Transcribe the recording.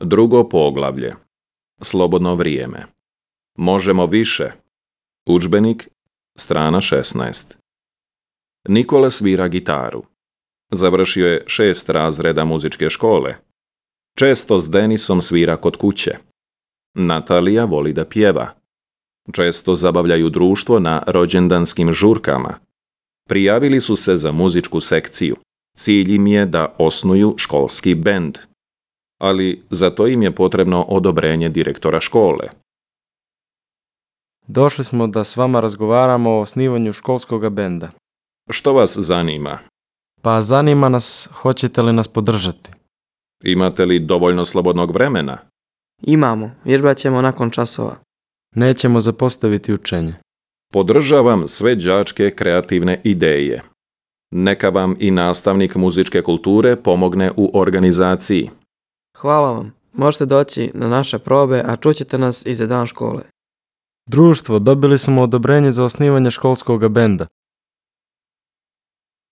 Drugo poglavlje. Slobodno vrijeme. Možemo više. Udžbenik, strana 16. Nikola svira gitaru. Završio je 6 razreda muzičke škole. Često s Denisom svira kod kuće. Natalija voli da pjeva. Često zabavljaju društvo na rođendanskim žurkama. Prijavili su se za muzičku sekciju. Cilj im je da osnuju školski bend. Ali za to im je potrebno odobrenje direktora škole. Došli smo da s vama razgovaramo o osnivanju školskog benda. Što vas zanima? Pa zanima nas, hoćete li nas podržati? Imate li dovoljno slobodnog vremena? Imamo, vježbat ćemo nakon časova. Nećemo zapostaviti učenje. Podržavam sve đačke kreativne ideje. Neka vam i nastavnik muzičke kulture pomogne u organizaciji. Hvala vam. Možete doći na naše probe, a čućete nas i za dan škole. Društvo, dobili smo odobrenje za osnivanje školskog benda.